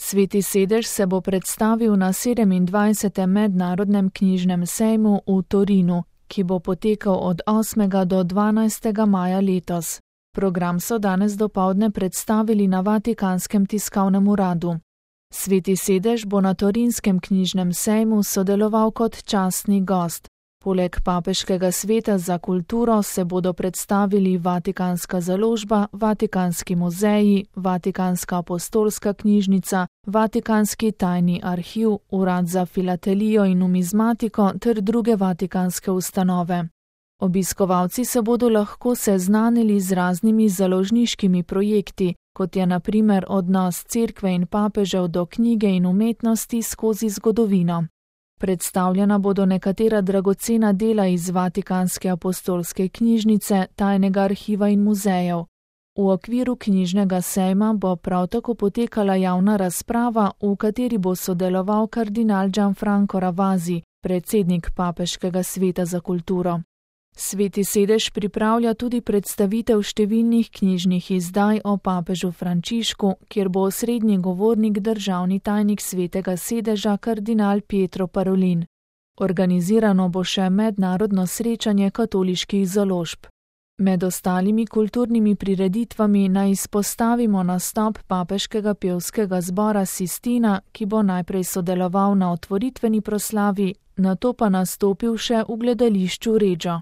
Sveti sedež se bo predstavil na 27. mednarodnem knjižnem sejmu v Torinu, ki bo potekal od 8. do 12. maja letos. Program so danes dopoldne predstavili na Vatikanskem tiskovnem uradu. Sveti sedež bo na Torinskem knjižnem sejmu sodeloval kot častni gost. Poleg Papeškega sveta za kulturo se bodo predstavili Vatikanska založba, Vatikanski muzeji, Vatikanska apostolska knjižnica, Vatikanski tajni arhiv, Urad za filatelijo in numizmatiko ter druge vatikanske ustanove. Obiskovalci se bodo lahko seznanili z raznimi založniškimi projekti, kot je na primer odnos cerkve in papežev do knjige in umetnosti skozi zgodovino. Predstavljena bodo nekatera dragocena dela iz Vatikanske apostolske knjižnice, tajnega arhiva in muzejev. V okviru knjižnega sejma bo prav tako potekala javna razprava, v kateri bo sodeloval kardinal Gianfranco Ravasi, predsednik Papeškega sveta za kulturo. Sveti sedež pripravlja tudi predstavitev številnih knjižnih izdaj o papežu Frančišku, kjer bo osrednji govornik državni tajnik Svetega sedeža kardinal Pietro Parolin. Organizirano bo še mednarodno srečanje katoliških založb. Med ostalimi kulturnimi prireditvami naj izpostavimo nastop papeškega pevskega zbora Sistina, ki bo najprej sodeloval na otvoritveni proslavi, nato pa nastopil še v gledališču Regio.